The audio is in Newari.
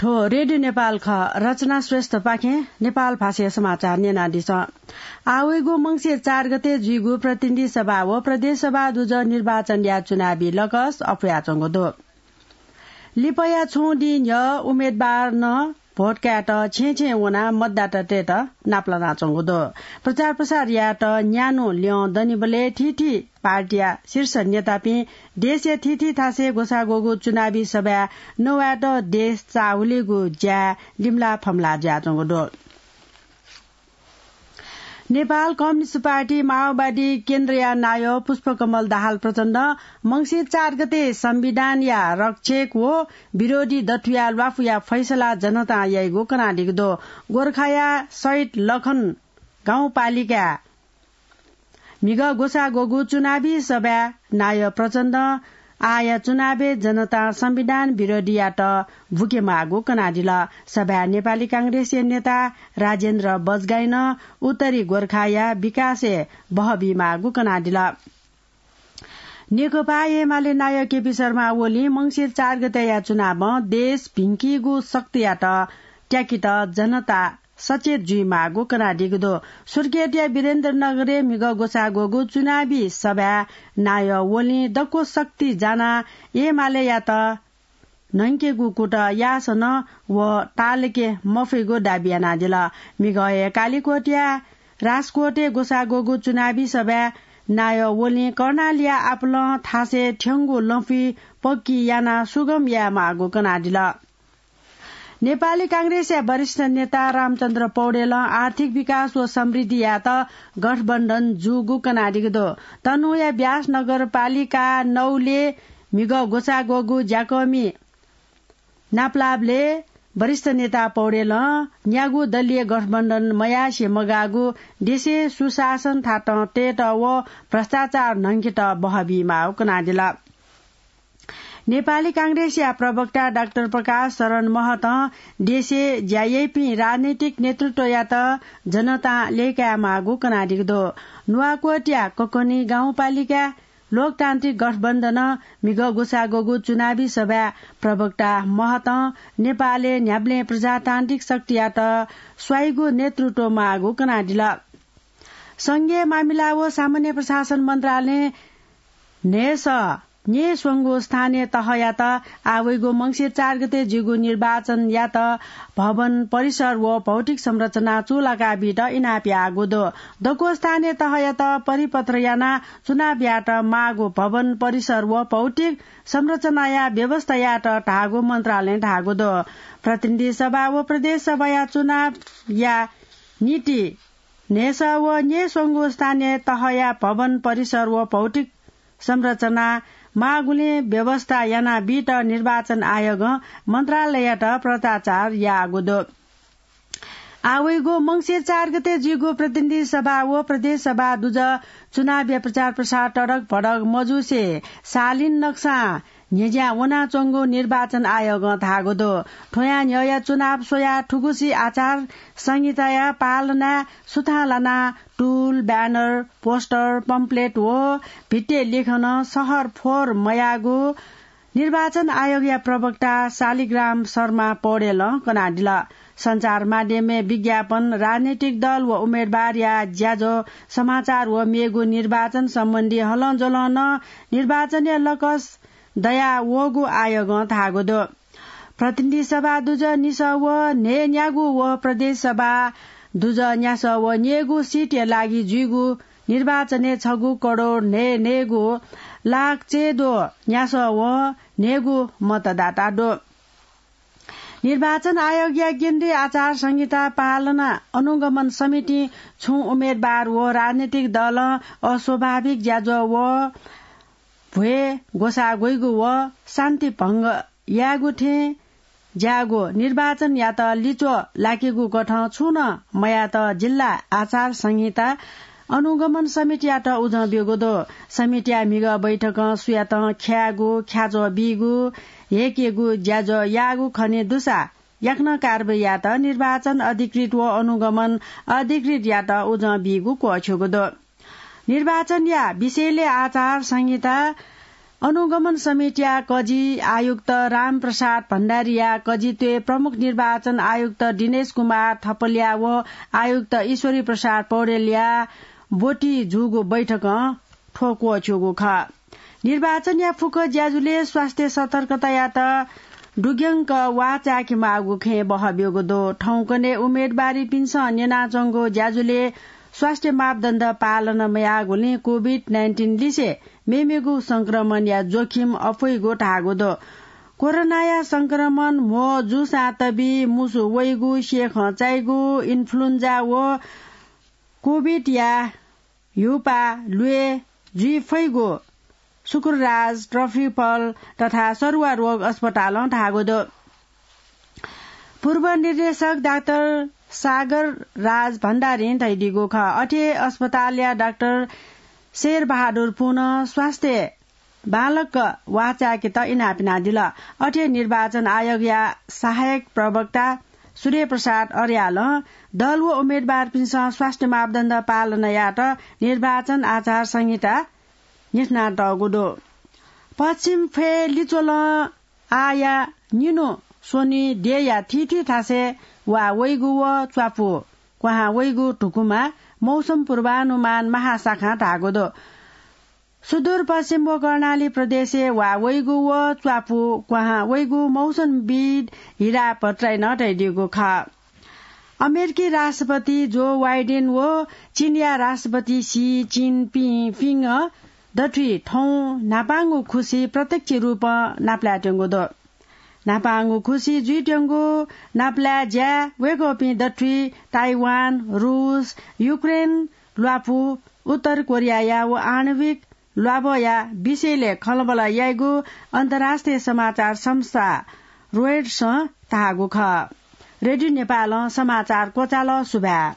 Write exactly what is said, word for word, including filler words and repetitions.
थ्व रेडियो नेपाल खः। रचना श्रेष्ठपाखें नेपाल भाषाया समाचार न्यनादिसँ। आः वइगु मंसिर चार गते जुइगु प्रतिनिधि सभा व प्रदेश सभा दुजः निर्वाचनया चुनावी लकस अप्वयाच्वंगु दु। लिपाया छुं दिं न्ह्यः उम्मेदवारं भोट कायेत छेँय् छेँय् वनाः मतदातातय्त नापलानाच्वंगु दु। प्रचार प्रसार यायेत न्यान्हु ल्यं दनिबलय् थीथी पार्टीया शीर्ष नेतापिं देशया थीथी थासय् ग्वसाः ग्वःगु चुनावी सभाय् नवायेत देश चाःहुलिगु ज्याय् लिमलाः फमलाः जुयाच्वंगु दु। नेपाल कम्युनिस्ट पार्टी माओवादी केन्द्रया नायः पुष्पकमल दाहाल प्रचण्डं मंसिर चार गते संविधानया रक्षक व विरोधी दथुया ल्वापुया फैसला जनतां याइगु कनादीगु दु। गोर्खाया शहीद लखन गाउँपालिकाय् म्हिगः ग्वसाः ग्वःगु चुनावी सभाय् नायः प्रचण्डं आःया चुनावय् जनतां संविधान विरोधीयात बुकेमाःगु कनादिल। सभाय् नेपाली कांग्रेसया नेता राजेन्द्र बजगाईं उत्तरी गोर्खाया विकासय् बहः बीमाःगु कनादिल। नेकपा एमाले नायः केपी शर्मा ओलीं मंसिर चार गतेया चुनावं देश भिंकीगु शक्तियात त्याकेत जनता सचेत जुइमाःगु कनादीगु दु। सुर्खेतया वीरेन्द्रनगरय् म्हिगः ग्वसाः ग्वःगु चुनावी सभाय् नायः ओलीं दक्व शक्ति जानाः एमालेयात न्हंकेगु कुतः याःसां नं व ताःलाके मफइगु दाबी यानादिल। म्हिगः हे कालिकोटया राजकोटय् ग्वसाः ग्वःगु चुनावी सभाय् नायः ओलीं कर्णालीया आपालं थासय् थ्यंगु लँपुइ पक्की यानाः सुगम यायेमाःगु कनादिल। नेपाली कांग्रेसया वरिष्ठ नेता रामचन्द्र पौडेलं आर्थिक विकास व समृद्धियात गठबन्धन जूगु कनादीगु दु। तनहुँया व्यास नगरपालिका नौले म्हिगः ग्वसाः ग्वःगु ज्याकःमि नापलाःबलय् वरिष्ठ नेता पौडेलं न्यागू दलीय गठबन्धन मयासें मगाःगु देशय् सुशासन थातं तयेत व भ्रष्टाचार न्हंकेत बहः बीमाःगु कनादिल। नेपाली कांग्रेसया प्रवक्ता डाक्टर प्रकाश शरण महतं देशय् ज्या याइपिं राजनैतिक नेतृत्वयात जनतां लय्‌कायेमाःगु कनादीगु दु। नुवाकोटया ककनी गाउँपालिकाय् लोकतान्त्रिक गठबन्धनं म्हिगः ग्वसाः ग्वःगु चुनावी सभाय् प्रवक्ता महतं नेपालय् न्ह्याबलें प्रजातान्त्रिक शक्तियात स्वाइगु नेतृत्व माःगु कनादिल। संघीय मामिला व सामान्य प्रशासन मन्त्रालयं न्हय्‌सः न्यय्‌स्वंगू स्थानीय तहयात आः वइगु मंसिर चार गते जुइगु निर्वाचनयात भवन परिसर व भौतिक संरचना चूलाका बीत इनाप याःगु दु। दक्व स्थानीय तहयात परिपत्र यानाः चुनाव यायेत माःगु भवन परिसर व भौतिक संरचनाया व्यवस्था यायेत धाःगु मन्त्रालयं धाःगु दु। प्रतिनिधि सभा व प्रदेश सभाया चुनावया निंतिं न्हय्‌सः व न्यय्‌स्वंगू स्थानीय तहया भवन परिसर व भौतिक संरचना माःगुलिं व्यवस्था यानाबीत निर्वाचन आयोगं मन्त्रालययात पत्राचार याःगु दु। आः वइगु मंसिर चार गते जुइगु प्रतिनिधि सभा व प्रदेश सभा दुजः चुनावया प्रचार प्रसार तडक भडक मजूसे शालीन नक्सां न्ह्यज्यां वनाच्वंगु निर्वाचन आयोगं धाःगु दु। थ्वयां न्ह्यःया चुनाव स्वयाः थुगुसी आचार संहिताया पालनाय् सुथां लानाः टुल, ब्यानर, पोस्टर, पम्पलेट व भित्तिया लेखनं शहर फोहोर मयाःगु निर्वाचन आयोगया प्रवक्ता शालिग्राम शर्मा पौडेलं कनादिल। सञ्चार माध्यमय् विज्ञापन, राजनैतिक दल व उम्मेदवारया ज्याझ्वः समाचार व मेगु निर्वाचन सम्बन्धी हलंज्वलं नं निर्वाचनया लकस दयावःगु आयोगं धाःगु दु। प्रतिनिधि सभा दुजः निसः व न्हय्‌न्यागू व प्रदेश सभा दुजः न्यासः व न्यय्‌गू सिटया लागि जुइगु निर्वाचनय् छगू करोड न्हय्‌न्हय्‌गू लाख चय्‌द्वः न्यासः व न्हय्‌गू मतदाता दु। निर्वाचन आयोगया केन्द्रीय आचार संहिता पालना अनुगमन समितिं छुं उम्मेदवार व राजनैतिक दलं अस्वाभाविक ज्याझ्वः व भ्वय् ग्वसाः ग्वइगु व शान्ति भंग यायेगु थें ज्याःगु निर्वाचनयात लिच्वः लाकेगु कथं छुं नं मयायेत जिल्ला आचार संहिता अनुगमन समितियात उजं ब्यूगु दु। समितिया म्हिगः बैठकं सुयातं ख्यायेगु, ख्याच्वः बीगु, हेकेगु ज्याझ्वः याःगु खने दुसा याकनं कारवाही यायेत निर्वाचन अधिकृत व अनुगमन अधिकृतयात उजं बीगु क्वःछ्यूगु दु। निर्वाचनया विषयलय् आचार संहिता अनुगमन समितिया कजि आयुक्त रामप्रसाद भण्डारीया कजित्वय् प्रमुख निर्वाचन आयुक्त दिनेश कुमार थपलिया व आयुक्त ईश्वरी प्रसाद पौडेलया ब्वति जूगु बैठकं थ्व क्वःछ्यूगु खः। निर्वाचनया फुक्क ज्याझ्वलय् स्वास्थ्य सतर्कतायात दुग्यंक वाःचायेके माःगु खँय् बहः ब्यूगु दु। थौंकन्हय् उम्मेदवारीपिन्सं न्यनाच्वंगु ज्याझ्वलय् स्वास्थ्य मापदण्ड पालन मयाःगुलिं COVID nineteen लिसे मेमेगु संक्रमणया जोखिम अप्वइगु धाःगु दु। कोरोनाया संक्रमण म्हो जूसां तबि, मुसु वइगु, स्येखं चाइगु, इन्फ्लुएन्जा व COVID या ह्युपाः ल्वय् जुइ फइगु शुक्रराज, ट्रफिपल तथा सरुवा रोग अस्पतालं धाःगु दु। पूर्व निर्देशक डाक्टर सागर राज भण्डारीं धयादीगु खः। अथे अस्पतालया डाक्टर शेरबहादुर पुनं स्वास्थ्य बांलाक वाःचायेकेत इनाप यानादिल। अथे निर्वाचन आयोगया सहायक प्रवक्ता सूर्यप्रसाद अर्यालं दल व उम्मेदवारपिन्सं स्वास्थ्य मापदण्ड पालन यायेत निर्वाचन आचार संहिता न्ह्यथनातःगु दु। पश्चिम फय् लिच्वलं आःया निन्हु स्वन्हु देय्‌या थीथी थासय् वाः वइगु व च्वापु क्वहां वइगु धुकुमा मौसम पूर्वानुमान महाशाखां धाःगु दु। सुदूरपश्चिम व कर्णाली प्रदेशय् वाः वइगु व च्वापु क्वहां वइगु मौसमविद् हिरा भट्टराईं धयादीगु खः। अमेरिकी राष्ट्रपति जो बाइडेन व चीनया राष्ट्रपति सी जिनपिङपिं दथुइ थौं न्हापांगु खुसि प्रत्यक्ष रूपं नापलायेत्यंगु दु। न्हापांगु खुसि जुइत्यंगु नापलाये ज्याय् वय्‌कःपिं दथुइ ताइवान, रूस, युक्रेन, ल्वापु, उत्तर कोरियाया व आणविक ल्वाभःया विषयलय् खँल्हाबल्हा याइगु अन्तर्राष्ट्रिय समाचार संस्था रोयटर्सं धाःगु खः। रेडियो नेपालं समाचार क्वचाल। सुभाय्।